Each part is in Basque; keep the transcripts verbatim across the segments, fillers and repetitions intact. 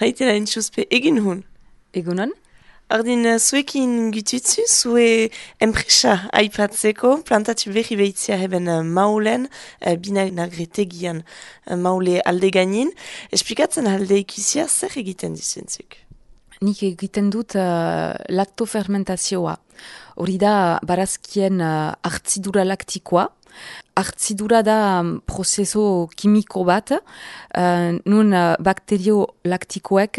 Haite da entzuzpe egin hun. Egunon? Ordin, uh, zuekin gututzu, zue enpresa aipatzeko, plantatu berri behitzia heben uh, maulen, uh, bina nagretegian uh, maule alde gainin. Esplikatzen alde ikusia zer egiten dizentzuk? Nik egiten dut uh, laktofermentazioa. Hori da barazkien uh, hartzidura laktikoa. Hartzidura da um, prozeso kimiko bat, uh, nun uh, bakterio laktikoek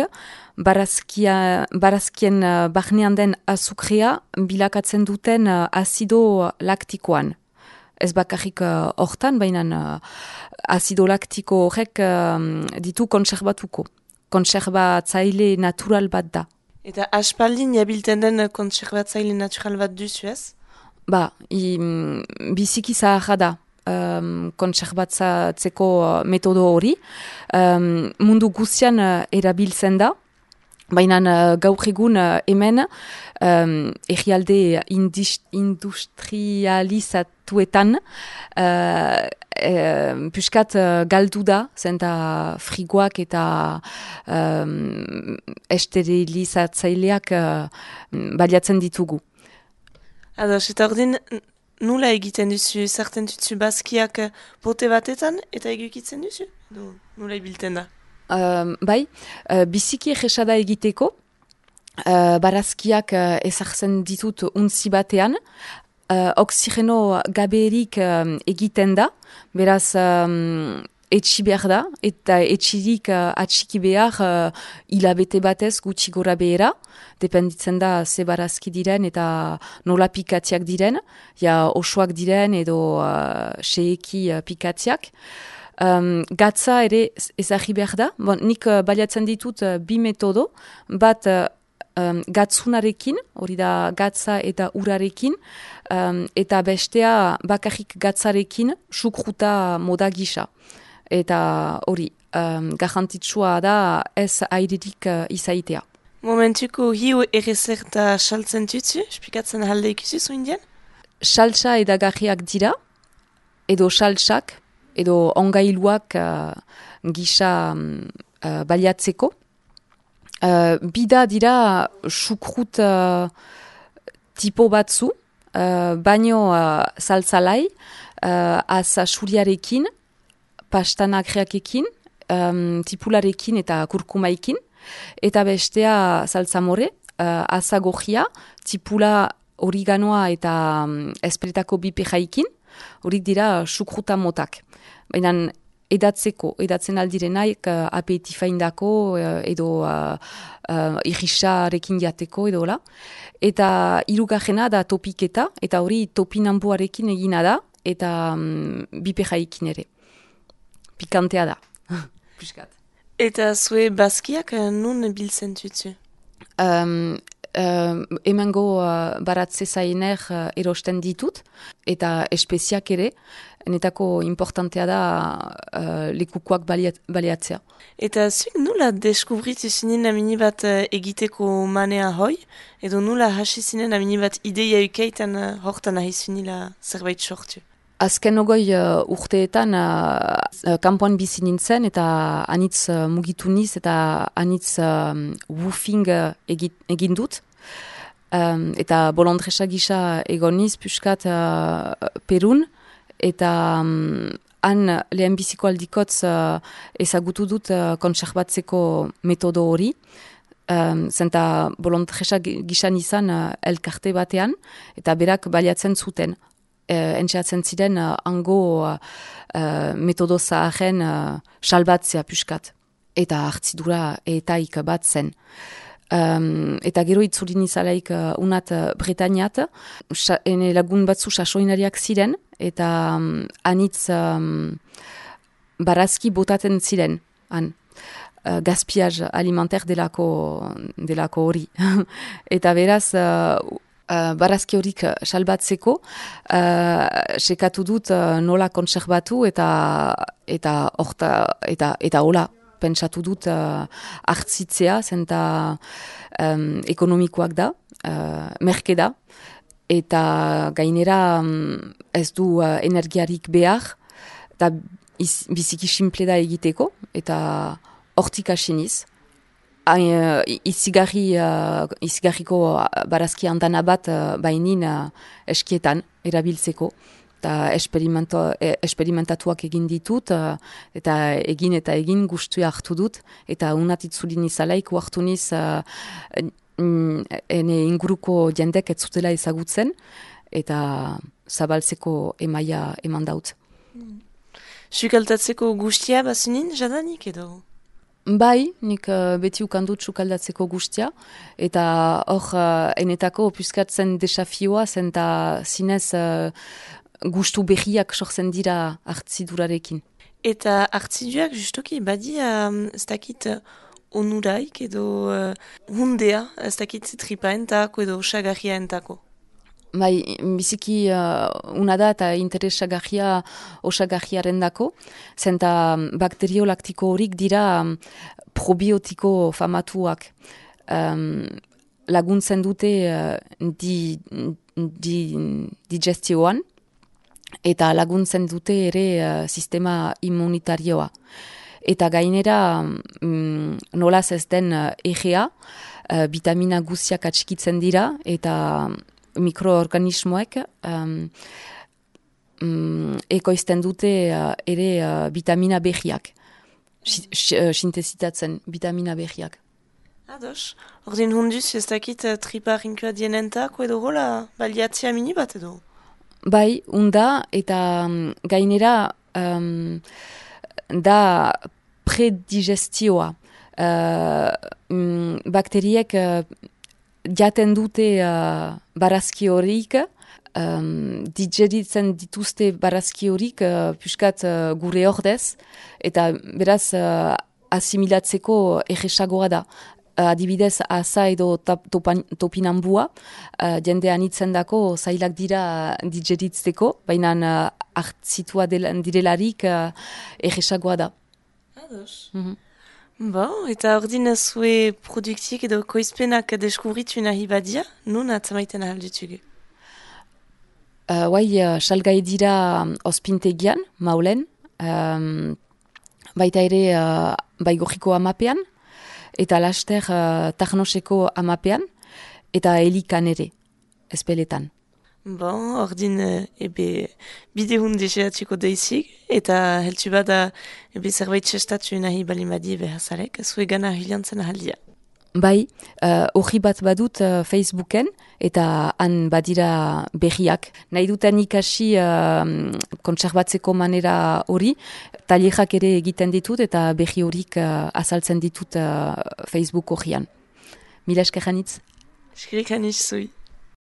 barazkia, barazkien uh, barnean den azukrea bilakatzen duten uh, azido laktikoan. Ez bakarrik uh, hortan, baina uh, azido laktiko horrek uh, ditu kontserbatuko. Kontserbatzaile natural bat da. Eta aspaldin jabilten den kontserbatzaile natural bat duzu ez? Ba, i, biziki zaharra da um, kontserbatzatzeko metodo hori. Um, mundu guztian uh, erabiltzen da, baina uh, gaur egun uh, hemen um, egialde industrializatuetan uh, E, puskat uh, galdu da, zenta frigoak eta um, esterilizatzaileak uh, baliatzen ditugu. Ados, eta ordin, nula egiten duzu, zerten duzu bazkiak pote batetan, eta egukitzen duzu? Do, nula ibilten da? Um, bai, uh, biziki egesada egiteko, uh, barazkiak uh, ezartzen ditut untzi batean, Uh, oksigeno gaberik um, egiten da, beraz um, etxi behar da, eta etxirik uh, atxiki behar uh, hilabete batez gutxi gora behera, dependitzen da ze barazki diren eta nola pikatiak diren, ja osoak diren edo uh, seeki uh, pikatiak. Um, gatza ere ezagri behar da, bon, nik uh, baliatzen ditut uh, bi metodo, bat uh, Um, gatzunarekin, hori da gatza eta urarekin, um, eta bestea bakarrik gatzarekin sukruta moda gisa. Eta hori, um, garrantzitsua da ez airerik uh, izaitea. Momentuko hiu errezerta saltzen tutzu, esplikatzen halde ikusi zu indian? Saltsa edagarriak dira, edo saltsak, edo ongailuak uh, gisa um, uh, baliatzeko. Uh, bida dira sukrut uh, tipo batzu, uh, baino uh, saltzalai, uh, aza suriarekin, pastanakreakekin, um, tipularekin eta kurkumaikin, eta bestea saltzamore, uh, aza gojia, tipula origanoa eta um, espretako bipejaikin, horik dira sukruta motak. Baina edatzeko, edatzen aldirenaik uh, apetifaindako uh, edo uh, uh, irrisarekin jateko edo la. Eta hirugarrena da topiketa, eta hori topinamboarekin egina da, eta um, bipejaikin ere. Pikantea da. Piskat. Eta zue bazkiak nun biltzen tutzu? Um, Uh, emango uh, baratze zainer uh, erosten ditut, eta espeziak ere, netako importantea da uh, lekukoak baliat, baliatzea. Eta zuk nula deskubritu zinen amini bat uh, egiteko manea hoi, edo nula hasi zinen amini bat ideia ukeitan uh, hortan ahi zunila zerbait sortu? Azken ogoi uh, urteetan uh, uh, kanpoan bizi nintzen eta anitz uh, mugitu niz eta anitz uh, woofing uh, egit, egin dut. Um, eta bolondresa gisa egon niz puskat uh, Perun eta um, han lehen biziko aldikotz uh, ezagutu dut uh, kontserbatzeko metodo hori. Um, zenta bolondresa gisa nizan uh, elkarte batean eta berak baliatzen zuten. Uh, entxeatzen ziren uh, ango uh, uh, metodo zaharen uh, salbatzea puskat. Eta hartzidura etaik bat zen. Um, eta gero itzulin izalaik uh, unat uh, Bretañat, ene lagun batzu sasoinariak ziren, eta um, anitz um, barazki botaten ziren, han. Uh, gaspiaz alimentaire delako, delako hori. Eta beraz, uh, Uh, barazki horik salbatzeko, uh, sekatu dut uh, nola kontserbatu eta eta orta, eta eta hola pentsatu dut uh, hartzitzea, zenta um, ekonomikoak da, uh, merke da, eta gainera um, ez du uh, energiarik behar, eta biziki simple da egiteko, eta hortik asiniz. Uh, izigarri, uh, izigarriko barazki antana bat uh, bainin uh, eskietan erabiltzeko. Eta esperimentatuak egin ditut, uh, eta egin eta egin guztua hartu dut, eta unatitzulin izalaik hartu niz uh, ene inguruko jendek ez zutela ezagutzen, eta zabaltzeko emaia eman daut. Hmm. Sukaldatzeko guztia bazinin jadanik edo? Bai, nik uh, beti ukandut sukaldatzeko guztia, eta hor uh, enetako puzkatzen desafioa zen eta zinez uh, gustu behiak sortzen dira hartzidurarekin. Eta hartziduak justoki badia ez dakit onuraik edo uh, hundea, ez dakit tripaentako edo osagarriaentako. Bai, biziki uh, una da eta interesagarria osagarriaren dako, zenta bakteriolaktiko horik dira um, probiotiko famatuak. Um, laguntzen dute uh, di, di, digestioan, eta laguntzen dute ere uh, sistema immunitarioa. Eta gainera, um, nolaz ez den uh, egea, uh, vitamina guziak atxikitzen dira, eta mikroorganismoek um, um, ekoizten dute uh, ere uh, vitamina behiak, sintezitatzen vitamina behiak. Ados, ordin hunduz ez dakit uh, tripa rinkua dienentako edo hola baliatzea mini bat edo? Bai, unda eta um, gainera um, da predigestioa. Uh, um, bakteriek uh, jaten dute uh, barazki horik, um, digeritzen dituzte barazki horik uh, puskat uh, gure ordez, eta beraz uh, asimilatzeko erresagoa da. Uh, adibidez, asa edo topan, topinambua, uh, jende anitzen dako zailak dira digeritzeko, baina uh, hartzitua direlarik uh, erresagoa da. Ados. Mm-hmm. Bon, eta ordin zue produktiek edo koizpenak deskubritu nahi badia, nun atzamaiten ahalditugu? Uh, Guai, uh, salgai dira um, ospintegian, maulen, um, baita ere uh, baigorriko amapean, eta laster uh, tarnoseko amapean, eta helikan ere, ezpeletan. Bon, ordin ebe bidehun deseatxiko deizik, eta heltsu bada ebe zerbait sestatu nahi balimadi behazarek, zue gana hilantzen ahaldia. Bai, hori uh, bat badut uh, Facebooken, eta han badira berriak. Nahi duten ikasi uh, kontserbatzeko manera hori, tailerak ere egiten ditut, eta berri horik uh, azaltzen ditut uh, Facebook horian. Mila eskerranitz. Eskerrik anitz zui.